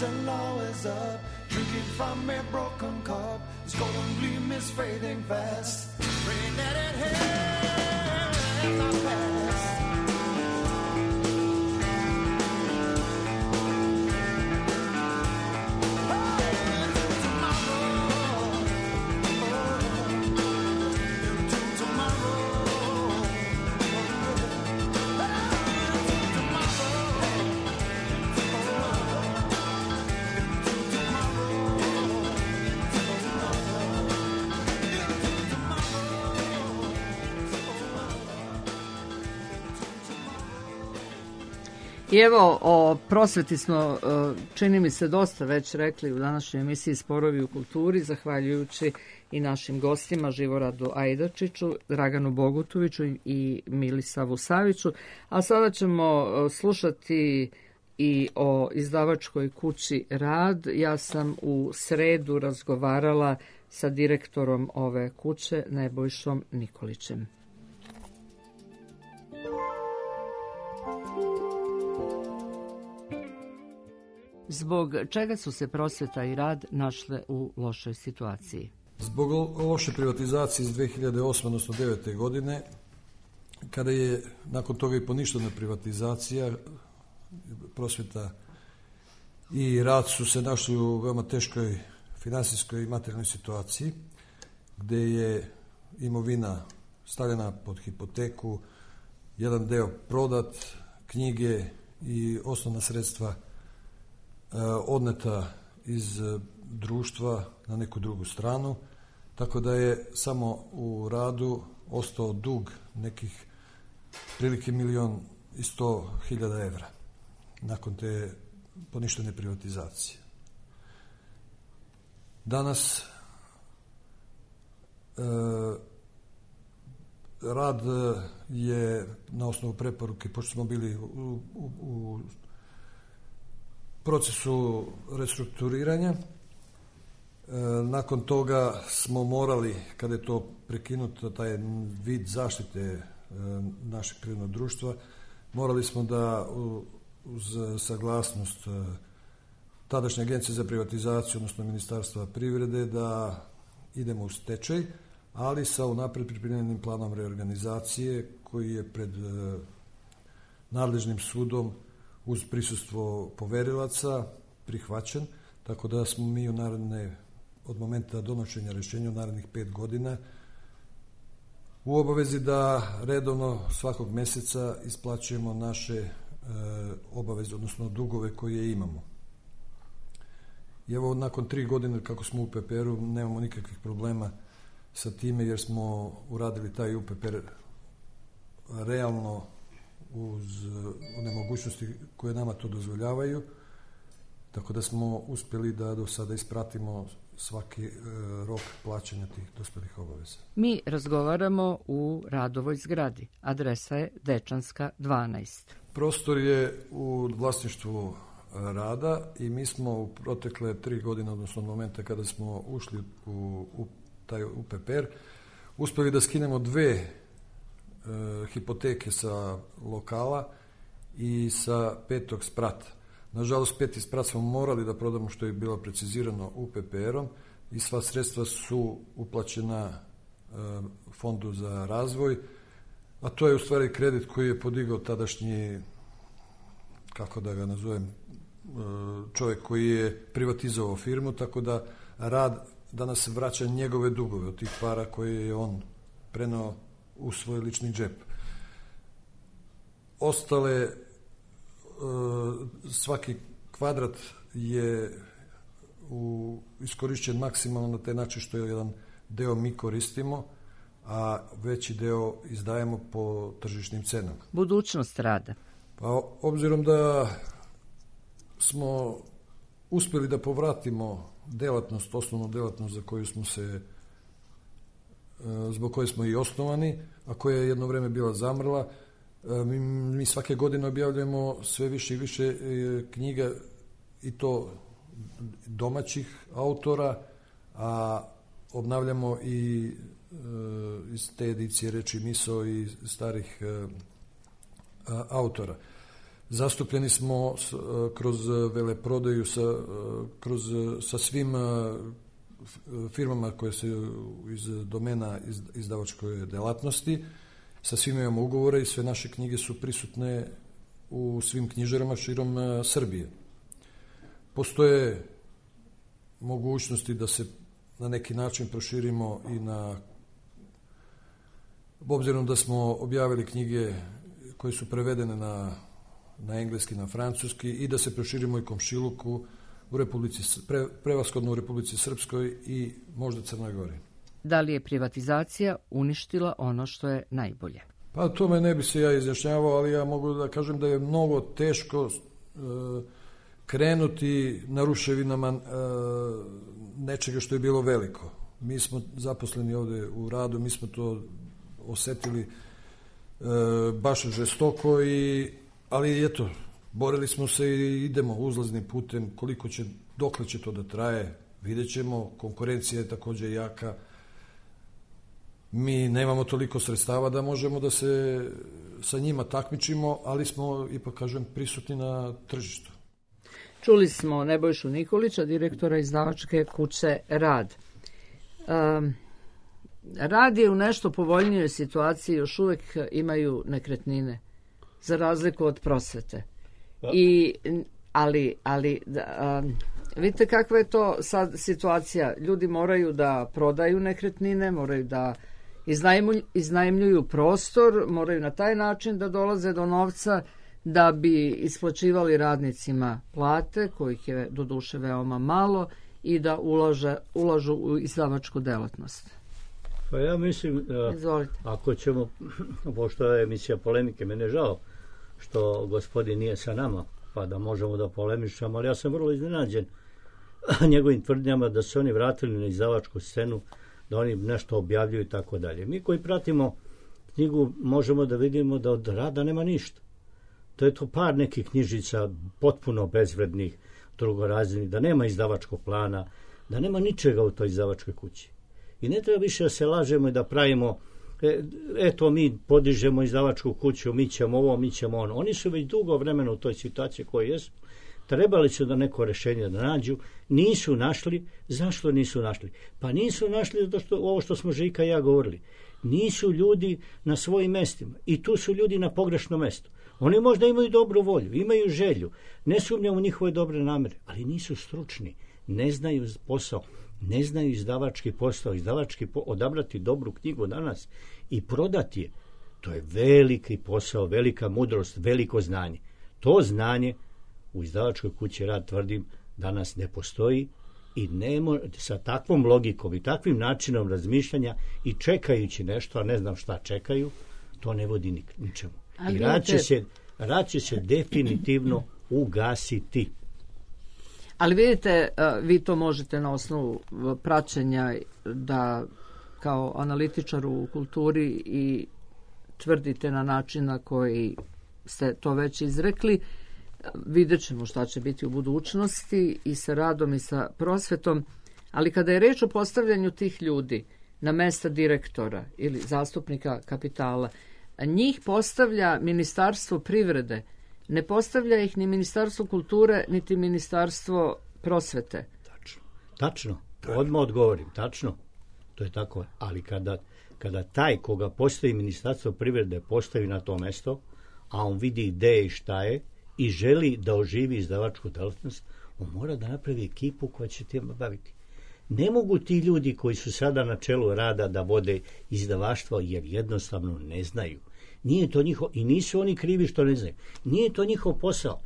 Speaker 8: And always up, drinking from a broken cup. This golden gleam is fading fast. Praying that it has not passed. Oh, tomorrow, oh,
Speaker 1: I evo, o prosveti smo, čini mi se, dosta već rekli u današnjoj emisiji Sporovi u kulturi, zahvaljujući i našim gostima Živoradu Ajdačiću, Draganu Bogutoviću i Milisavu Saviću. A sada ćemo slušati i o izdavačkoj kući Rad. Ja sam u sredu razgovarala sa direktorom ove kuće, Nebojšom Nikolićem. Zbog čega su se Prosveta i Rad našle u lošoj situaciji?
Speaker 9: Zbog loše privatizacije iz dve hiljade osme. odnosno devete. godine, kada je nakon toga i poništena privatizacija, Prosveta i Rad su se našli u veoma teškoj finansijskoj i materijalnoj situaciji, gde je imovina stavljena pod hipoteku, jedan deo prodat, knjige i osnovna sredstva odneta iz društva na neku drugu stranu, tako da je samo u Radu ostao dug nekih prilike milion i sto hiljada evra nakon te poništene privatizacije. Danas e, Rad je na osnovu preporuke, pošto smo bili u, u, u procesu restrukturiranja, e, nakon toga smo morali, kada je to prekinuto, taj vid zaštite e, našeg privrednog društva, morali smo da u, uz saglasnost e, tadašnje agencije za privatizaciju, odnosno Ministarstva privrede, da idemo u stečaj, ali sa unapred pripremljenim planom reorganizacije koji je pred e, nadležnim sudom uz prisustvo poverilaca prihvaćen, tako da smo mi u naredne, od momenta donošenja rješenja u narednih pet godina u obavezi da redovno svakog mjeseca isplaćujemo naše e, obaveze, odnosno dugove koje imamo. I evo, nakon tri godine kako smo u U P P R-u, nemamo nikakvih problema sa time, jer smo uradili taj U P P R realno uz one mogućnosti koje nama to dozvoljavaju, tako da smo uspjeli da do sada ispratimo svaki e, rok plaćanja tih dospjelih obaveza.
Speaker 1: Mi razgovaramo u Radovoj zgradi. Adresa je Dečanska dvanaest.
Speaker 9: Prostor je u vlasništvu Rada i mi smo u protekle tri godine, odnosno od momenta kada smo ušli u, u taj U P P R, uspjeli da skinemo dve e, hipoteke sa lokala i sa petog sprata. Nažalost, peti sprat smo morali da prodamo, što je bilo precizirano U P P R-om, i sva sredstva su uplaćena e, Fondu za razvoj, a to je u stvari kredit koji je podigao tadašnji, kako da ga nazovem, e, čovjek koji je privatizovao firmu, tako da Rad danas vraća njegove dugove od tih para koje je on prenao u svoj lični džep. Ostale, svaki kvadrat je u, iskorišćen maksimalno na taj način što je jedan deo mi koristimo, a veći deo izdajemo po tržišnim cenama.
Speaker 1: Budućnost Rada.
Speaker 9: Pa, obzirom da smo uspjeli da povratimo delatnost, osnovnu delatnost za koju smo se, zbog koje smo i osnovani, a koja je jedno vrijeme bila zamrla, mi, mi svake godine objavljujemo sve više i više knjiga, i to domaćih autora, a obnavljamo i iz te edicije Reči misao i starih autora. Zastupljeni smo s, kroz veleprodaju sa, kroz, sa svim firmama koje su iz domena iz, izdavačkoj delatnosti. Sa svim imamo ugovore i sve naše knjige su prisutne u svim knjižarama širom Srbije. Postoje mogućnosti da se na neki način proširimo i na, obzirom da smo objavili knjige koje su prevedene na na engleski, na francuski, i da se proširimo i komšiluku u Republici, pre, prevashodno u Republici Srpskoj i možda Crnoj Gori.
Speaker 1: Da li je privatizacija uništila ono što je najbolje?
Speaker 9: Pa tome ne bi se ja izjašnjavao, ali ja mogu da kažem da je mnogo teško e, krenuti na ruševinama e, nečega što je bilo veliko. Mi smo zaposleni ovde u radu, mi smo to osetili e, baš žestoko, i, ali eto, borili smo se i idemo uzlaznim putem. Koliko će, dokle će to da traje, vidjet ćemo. Konkurencija je takođe jaka. Mi nemamo toliko sredstava da možemo da se sa njima takmičimo, ali smo, ipak kažem, prisutni na tržištu.
Speaker 1: Čuli smo Nebojšu Nikolića, direktora izdavačke kuće Rad. Um, Rad je u nešto povoljnijoj situaciji, još uvek imaju nekretnine, za razliku od prosvete. I, ali, ali da, um, vidite kakva je to sad situacija. Ljudi moraju da prodaju nekretnine, moraju da iznajmljuju, iznajmljuju prostor, moraju na taj način da dolaze do novca da bi isplaćivali radnicima plate, kojih je doduše veoma malo, i da ulaže, ulažu u izdavačku delatnost.
Speaker 4: Pa ja mislim,
Speaker 1: Izvolite.
Speaker 4: Ako ćemo, pošto je emisija polemike, mene je žao što gospodin nije sa nama, pa da možemo da polemišamo, ali ja sam vrlo iznenađen njegovim tvrdnjama da se oni vratili na izdavačku scenu, da oni nešto objavljuju i tako dalje. Mi koji pratimo knjigu možemo da vidimo da od Rada nema ništa. To je to par nekih knjižica potpuno bezvrednih, drugorazrednih, da nema izdavačkog plana, da nema ničega u toj izdavačkoj kući. I ne treba više da se lažemo i da pravimo, e, eto mi podižemo izdavačku kuću, mi ćemo ovo, mi ćemo ono. Oni su već dugo vremena u toj situaciji koji jesu. Trebali su da neko rešenje da nađu, nisu našli. Zašto nisu našli? Pa nisu našli zato što ovo što smo Žika i ja govorili. Nisu ljudi na svojim mestima i tu su ljudi na pogrešnom mestu. Oni možda imaju dobru volju, imaju želju, ne sumnjam u njihove dobre namere, ali nisu stručni, ne znaju posao, ne znaju izdavački posao, izdavački po, odabrati dobru knjigu danas i prodati je. To je veliki posao, velika mudrost, veliko znanje. To znanje u izdavačkoj kući Rad, tvrdim, danas ne postoji i nemo, sa takvom logikom i takvim načinom razmišljanja i čekajući nešto, a ne znam šta čekaju, to ne vodi nik, ničemu. I rad će, se, rad će se definitivno ugasiti.
Speaker 1: Ali vidite, vi to možete na osnovu praćenja da kao analitičar u kulturi i tvrdite na način na koji ste to već izrekli. Vidjet ćemo šta će biti u budućnosti i sa Radom i sa prosvetom. Ali kada je reč o postavljanju tih ljudi na mesta direktora ili zastupnika kapitala, njih postavlja Ministarstvo privrede, ne postavlja ih ni Ministarstvo kulture, niti Ministarstvo prosvete.
Speaker 4: Tačno, tačno, odmah odgovorim, tačno, to je tako, ali kada, kada taj koga postavi Ministarstvo privrede postavi na to mesto, a on vidi ideje i šta je i želi da oživi izdavačku delatnost, on mora da napravi ekipu koja će tim baviti. Ne mogu ti ljudi koji su sada na čelu Rada da vode izdavaštvo jer jednostavno ne znaju. Nije to njihov, i nisu oni krivi što ne znaju. Nije to njihov posao.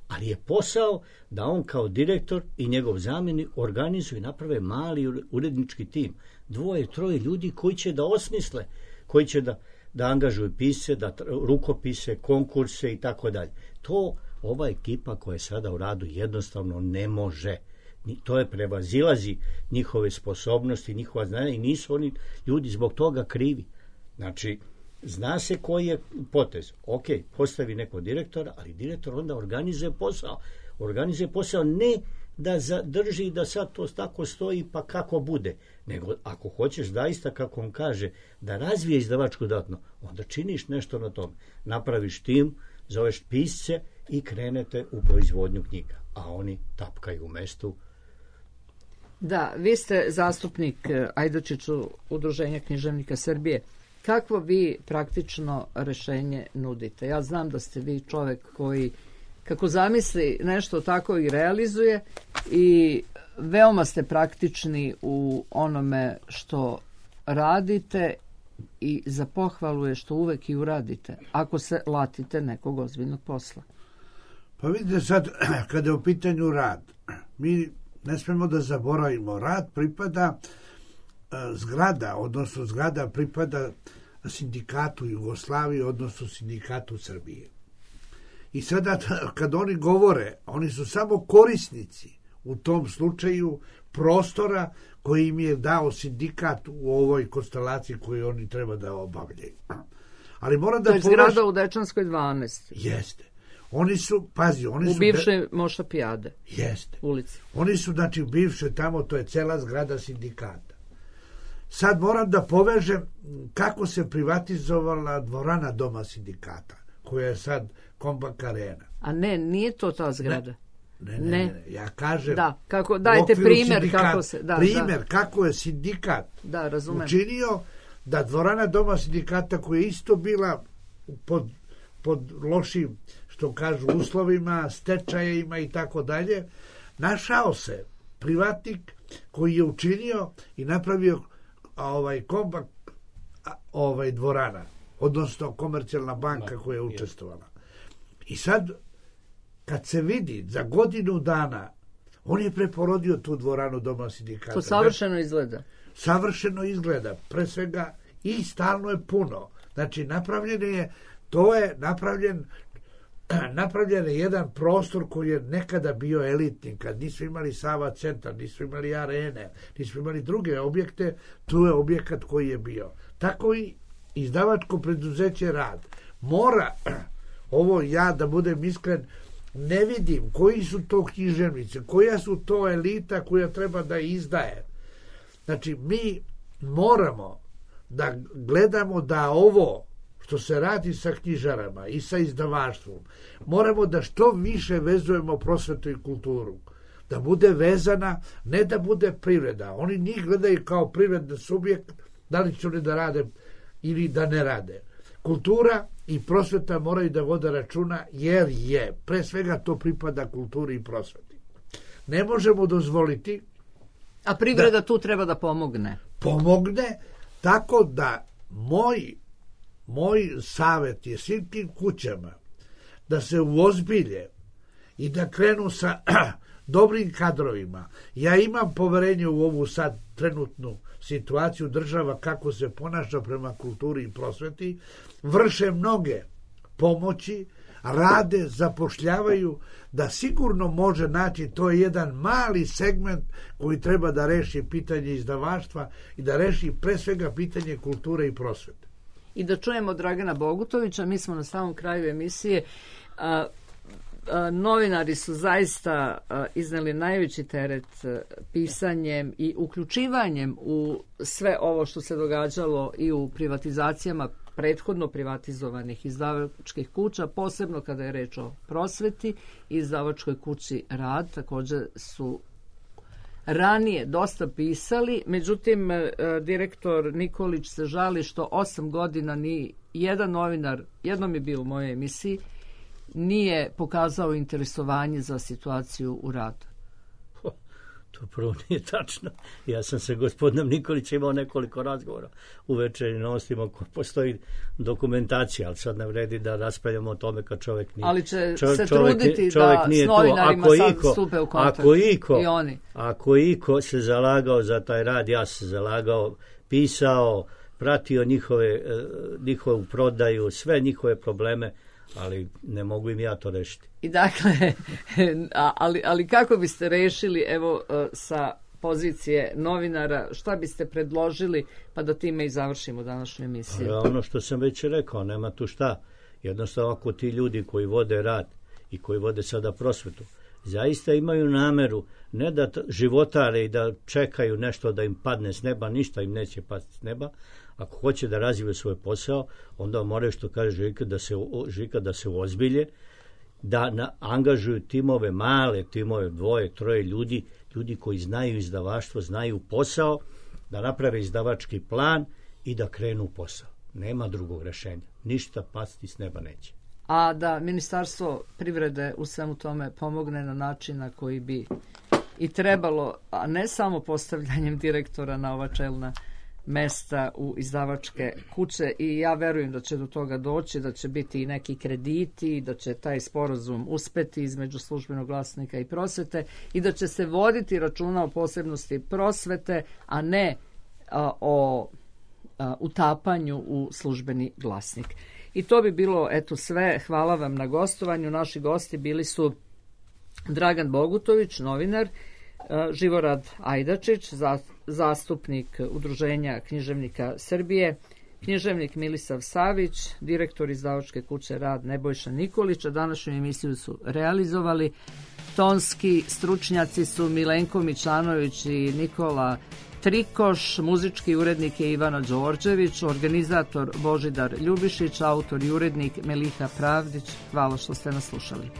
Speaker 4: Ali je posao da on kao direktor i njegov zamjenik organizuju i naprave mali urednički tim. Dvoje, troje ljudi koji će da osmisle, koji će da, da angažuju pisce, da rukopise, konkurse i tako dalje. To ova ekipa koja je sada u Radu jednostavno ne može. To je prevazilazi njihove sposobnosti, njihova znanja i nisu oni ljudi zbog toga krivi. Znači, zna se koji je potez. Ok, postavi neko direktora, ali direktor onda organizuje posao. Organizuje posao ne da zadrži da sad to tako stoji pa kako bude, nego ako hoćeš zaista, kako on kaže, da razvije izdavačku delatnost, onda činiš nešto na tom. Napraviš tim, zoveš pisce i krenete u proizvodnju knjiga. A oni tapkaju u mestu.
Speaker 1: Da, vi ste zastupnik Ajdačiću Udruženja književnika Srbije. Kakvo vi praktično rešenje nudite? Ja znam da ste vi čovek koji kako zamisli nešto tako i realizuje i veoma ste praktični u onome što radite i za pohvalu je što uvek i uradite, ako se latite nekog ozbiljnog posla.
Speaker 5: Pa vidite sad, kada je u pitanju rad, mi ne smemo da zaboravimo, rad pripada zgrada, odnosno zgrada pripada sindikatu Jugoslavije, odnosno sindikatu Srbije. I sada kad oni govore, oni su samo korisnici u tom slučaju prostora koji im je dao sindikat u ovoj konstelaciji koju oni treba da obavljaju. Ali moram da
Speaker 1: to je
Speaker 5: povraš...
Speaker 1: zgrada u Dečanskoj dvanaest.
Speaker 5: Jeste. Oni su, pazi, oni
Speaker 1: u
Speaker 5: su...
Speaker 1: U bivšoj Moša Pijade.
Speaker 5: Jeste.
Speaker 1: Ulici.
Speaker 5: Oni su, znači, bivše tamo, to je cela zgrada sindikata. Sad moram da povežem kako se privatizovala dvorana Doma sindikata, koja je sad Kombank Arena.
Speaker 1: A ne, nije to ta zgrada.
Speaker 5: Ne, ne, ne, ne. Ja kažem...
Speaker 1: Da, kako, dajte primjer
Speaker 5: sindikat,
Speaker 1: kako se... Da,
Speaker 5: primjer
Speaker 1: da.
Speaker 5: kako je sindikat
Speaker 1: da, razumem.
Speaker 5: učinio da dvorana Doma sindikata, koja je isto bila pod, pod lošim, što kažu, uslovima, stečajima i tako dalje, našao se privatnik koji je učinio i napravio ovaj Kombank ovaj dvorana, odnosno Komercijalna banka koja je učestvovala. I sad, kad se vidi za godinu dana, on je preporodio tu dvoranu Doma sindikata.
Speaker 1: To savršeno izgleda.
Speaker 5: Savršeno izgleda, pre svega, i stalno je puno. Znači, napravljen je, to je napravljen, napravljen je jedan prostor koji je nekada bio elitni, kad nisu imali Sava centar, nisu imali arene, nisu imali druge objekte, tu je objekat koji je bio. Tako i izdavačko preduzeće Rad mora, ovo ja da budem iskren, ne vidim koji su to književnice, koja su to elita koja treba da izdaje. Znači, mi moramo da gledamo da ovo što se radi sa knjižarama i sa izdavaštvom, moramo da što više vezujemo prosvetu i kulturu. Da bude vezana, ne da bude privreda. Oni njih gledaju kao privredni subjekt, da li će oni da rade ili da ne rade. Kultura i prosveta moraju da vode računa, jer je, pre svega to pripada kulturi i prosveti. Ne možemo dozvoliti...
Speaker 1: A privreda da, tu treba da pomogne.
Speaker 5: Pomogne, tako da moj, moj savjet je svim tim kućama da se uozbilje i da krenu sa dobrim kadrovima. Ja imam poverenje u ovu sad trenutnu situaciju država kako se ponaša prema kulturi i prosveti, vrše mnoge pomoći, rade, zapošljavaju, da sigurno može naći, to je jedan mali segment koji treba da reši pitanje izdavaštva i da reši pre svega pitanje kulture i prosvete.
Speaker 1: I da čujemo Dragana Bogutovića, mi smo na samom kraju emisije. A, a, novinari su zaista a, izneli najveći teret a, pisanjem i uključivanjem u sve ovo što se događalo i u privatizacijama prethodno privatizovanih izdavačkih kuća, posebno kada je reč o prosveti i izdavačkoj kući Rad, također su ranije dosta pisali, međutim direktor Nikolić se žali što osam godina ni jedan novinar, jednom je bio u mojoj emisiji, nije pokazao interesovanje za situaciju u Radu.
Speaker 4: To prvo nije tačno. Ja sam se gospodinom Nikolićem imao nekoliko razgovora u Večernjim novostima, postoji dokumentacija, ali sad ne vredi da raspravljamo o tome kad čovjek nije.
Speaker 1: Ali će
Speaker 4: čovjek,
Speaker 1: se
Speaker 4: čovjek,
Speaker 1: truditi
Speaker 4: čovjek
Speaker 1: da s novinarima
Speaker 4: ako
Speaker 1: sad
Speaker 4: iko,
Speaker 1: stupe u kontakt.
Speaker 4: Ako iko,
Speaker 1: i oni.
Speaker 4: Ako iko se zalagao za taj rad, ja se zalagao, pisao, pratio njihove, njihovu prodaju, sve njihove probleme, ali ne mogu im ja to rešiti.
Speaker 1: I dakle, ali, ali kako biste rešili, evo, sa pozicije novinara, šta biste predložili, pa da time i završimo današnju emisiju?
Speaker 4: Pa, ono što sam već rekao, nema tu šta. Jednostavno, ako ti ljudi koji vode rad i koji vode sada prosvetu, zaista imaju nameru ne da životare i da čekaju nešto da im padne s neba, ništa im neće pasti s neba. Ako hoće da razviju svoj posao, onda moraju, što kaže Žika, da se, Žika, da se uozbilje, da na, angažuju timove, male timove, dvoje, troje ljudi, ljudi koji znaju izdavaštvo, znaju posao, da naprave izdavački plan i da krenu u posao. Nema drugog rešenja. Ništa pasti s neba neće.
Speaker 1: A da Ministarstvo privrede u svemu tome pomogne na način na koji bi i trebalo, a ne samo postavljanjem direktora na ova čelna mesta u izdavačke kuće, i ja verujem da će do toga doći, da će biti i neki krediti, da će taj sporazum uspeti između Službenog glasnika i prosvete i da će se voditi računa o posebnosti prosvete, a ne a, o a, utapanju u službeni glasnik. I to bi bilo eto sve. Hvala vam na gostovanju. Naši gosti bili su Dragan Bogutović, novinar, Živorad Ajdačić, zastupnik Udruženja književnika Srbije, književnik Milisav Savić, direktor izdavačke kuće Rad Nebojša Nikolić. A današnju emisiju su realizovali tonski stručnjaci su Milenko Mićanović i Nikola Trikoš, muzički urednik je Ivana Đorđević, organizator Božidar Ljubišić, autor i urednik Meliha Pravdić. Hvala što ste nas slušali.